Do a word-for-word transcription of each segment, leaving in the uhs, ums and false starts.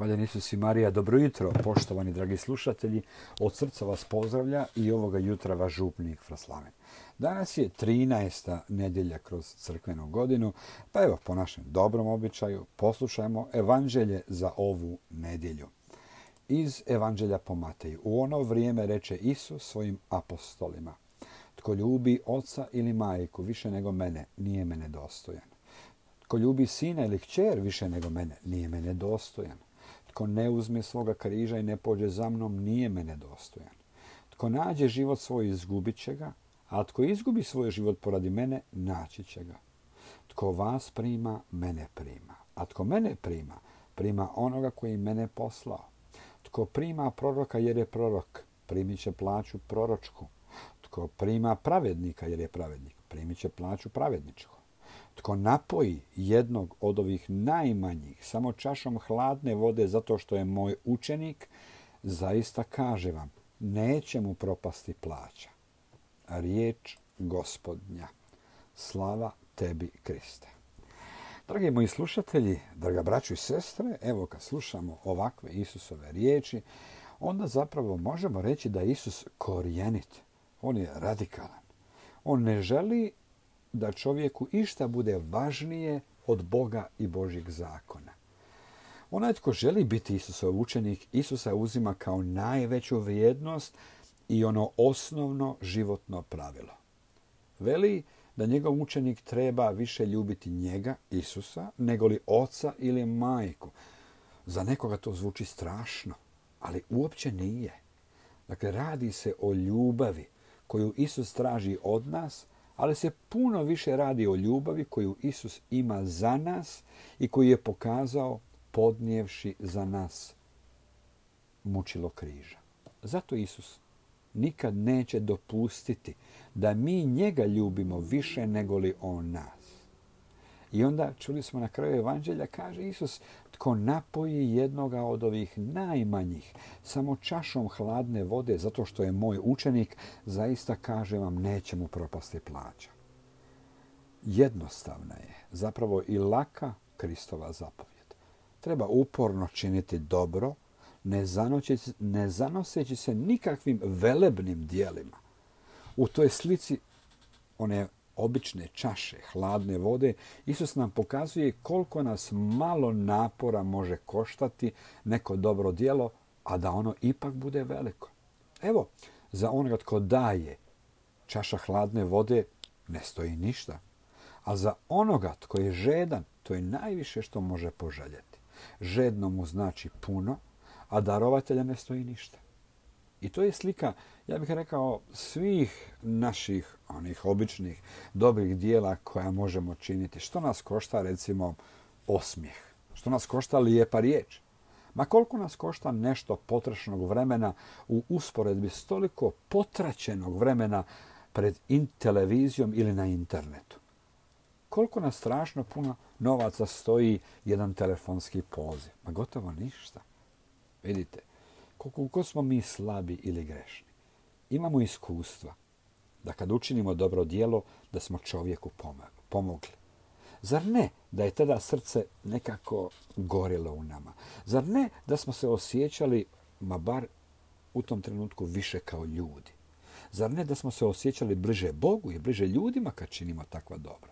Hvaljen Isus i Marija, dobro jutro, poštovani dragi slušatelji. Od srca vas pozdravlja i ovoga jutra vaš župnik Fraslaven. Danas je trinaesta nedjelja kroz crkvenu godinu, pa evo po našem dobrom običaju poslušajmo evanđelje za ovu nedjelju. Iz evanđelja po Mateju. U ono vrijeme reče Isus svojim apostolima: tko ljubi oca ili majku više nego mene, nije mene dostojan. Tko ljubi sina ili kćer više nego mene, nije mene dostojan. Tko ne uzme svoga križa i ne pođe za mnom, nije mene dostojan. Tko nađe život svoj, izgubit će ga, a tko izgubi svoj život poradi mene, naći će ga. Tko vas prima, mene prima. A tko mene prima, prima onoga koji mene poslao. Tko prima proroka jer je prorok, primit će plaću proročku. Tko prima pravednika jer je pravednik, primit će plaću pravedničku. Tko napoji jednog od ovih najmanjih samo čašom hladne vode zato što je moj učenik, zaista kaže vam, neće mu propasti plaća. Riječ Gospodnja. Slava tebi, Kriste. Dragi moji slušatelji, draga braćo i sestre, evo kad slušamo ovakve Isusove riječi, onda zapravo možemo reći da je Isus korijenit. On je radikalan. On ne želi da čovjeku išta bude važnije od Boga i Božjeg zakona. Onaj tko želi biti Isusov učenik, Isusa uzima kao najveću vrijednost i ono osnovno životno pravilo. Veli da njegov učenik treba više ljubiti njega, Isusa, nego li oca ili majku. Za nekoga to zvuči strašno, ali uopće nije. Dakle, radi se o ljubavi koju Isus traži od nas, ali se puno više radi o ljubavi koju Isus ima za nas i koju je pokazao podnijevši za nas mučilo križa. Zato Isus nikad neće dopustiti da mi njega ljubimo više nego li on nas. I onda čuli smo na kraju evanđelja, kaže Isus, tko napoji jednoga od ovih najmanjih samo čašom hladne vode zato što je moj učenik, zaista kaže vam, neće mu propasti plaća. Jednostavna je, zapravo i laka Kristova zapovjed. Treba uporno činiti dobro, ne zanoseći, ne zanoseći se nikakvim velebnim dijelima. U toj slici one obične čaše hladne vode, Isus nam pokazuje koliko nas malo napora može koštati neko dobro djelo, a da ono ipak bude veliko. Evo, za onoga tko daje čaša hladne vode ne stoji ništa, a za onoga tko je žedan, to je najviše što može poželjeti. Žedno mu znači puno, a darovatelja ne stoji ništa. I to je slika, ja bih rekao, svih naših onih običnih dobrih dijela koja možemo činiti. Što nas košta, recimo, osmijeh? Što nas košta lijepa riječ? Ma koliko nas košta nešto potrošenog vremena u usporedbi s toliko potraćenog vremena pred in televizijom ili na internetu? Koliko nas strašno puno novaca stoji jedan telefonski poziv? Ma gotovo ništa. Vidite, koliko smo mi slabi ili grešni. Imamo iskustva da kad učinimo dobro djelo, da smo čovjeku pomogli. Zar ne da je tada srce nekako gorilo u nama? Zar ne da smo se osjećali, ma bar u tom trenutku, više kao ljudi? Zar ne da smo se osjećali bliže Bogu i bliže ljudima kad činimo takva dobra?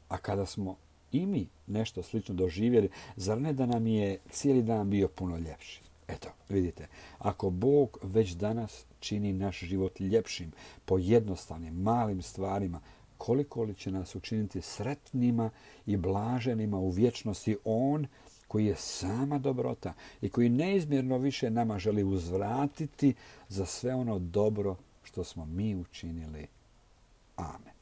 A kada smo i mi nešto slično doživjeli, zar ne da nam je cijeli dan bio puno ljepši? Eto, vidite, ako Bog već danas čini naš život ljepšim po jednostavnim, malim stvarima, koliko li će nas učiniti sretnima i blaženima u vječnosti On koji je sama dobrota i koji neizmjerno više nama želi uzvratiti za sve ono dobro što smo mi učinili. Amen.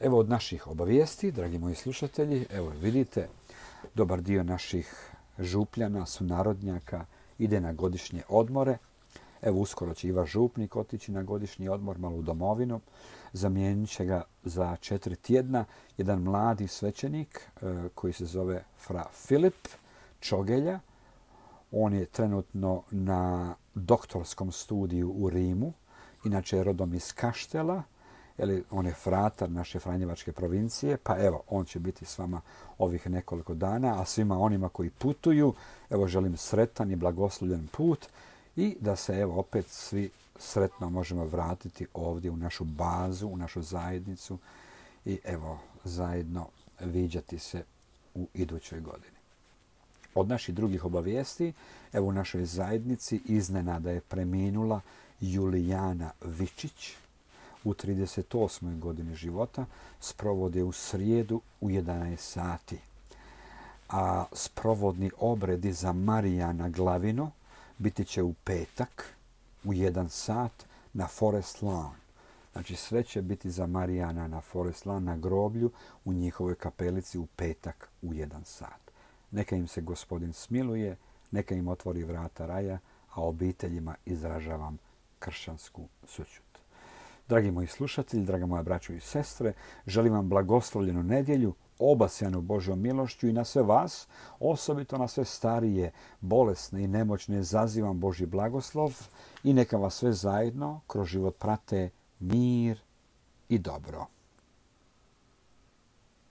Evo od naših obavijesti, dragi moji slušatelji, evo vidite, dobar dio naših župljana, sunarodnjaka ide na godišnje odmore. Evo uskoro će i vaš župnik otići na godišnji odmor malo u domovinu. Zamijenit će ga za četiri tjedna jedan mladi svećenik e, koji se zove fra Filip Čogelja. On je trenutno na doktorskom studiju u Rimu. Inače je rodom iz Kaštela Jeli, on je fratar naše Franjevačke provincije, pa evo, on će biti s vama ovih nekoliko dana, a svima onima koji putuju, evo želim sretan i blagoslovljen put i da se evo opet svi sretno možemo vratiti ovdje u našu bazu, u našu zajednicu i evo zajedno viđati se u idućoj godini. Od naših drugih obavijesti, evo u našoj zajednici iznenada je preminula Julijana Vičić u trideset osmoj godini života, sprovod je u srijedu u jedanaest sati. A sprovodni obredi za Marijana Glavino biti će u petak u jedan sat na Forest Lawn. Znači sve će biti za Marijana na Forest Lawn na groblju u njihovoj kapelici u petak u jedan sat. Neka im se Gospodin smiluje, neka im otvori vrata raja, a obiteljima izražavam kršćansku sućut. Dragi moji slušatelji, draga moja braćo i sestre, želim vam blagoslovljenu nedjelju, obasjanu Božjom milošću i na sve vas, osobito na sve starije, bolesne i nemoćne, zazivam Božji blagoslov i neka vas sve zajedno kroz život prate mir i dobro.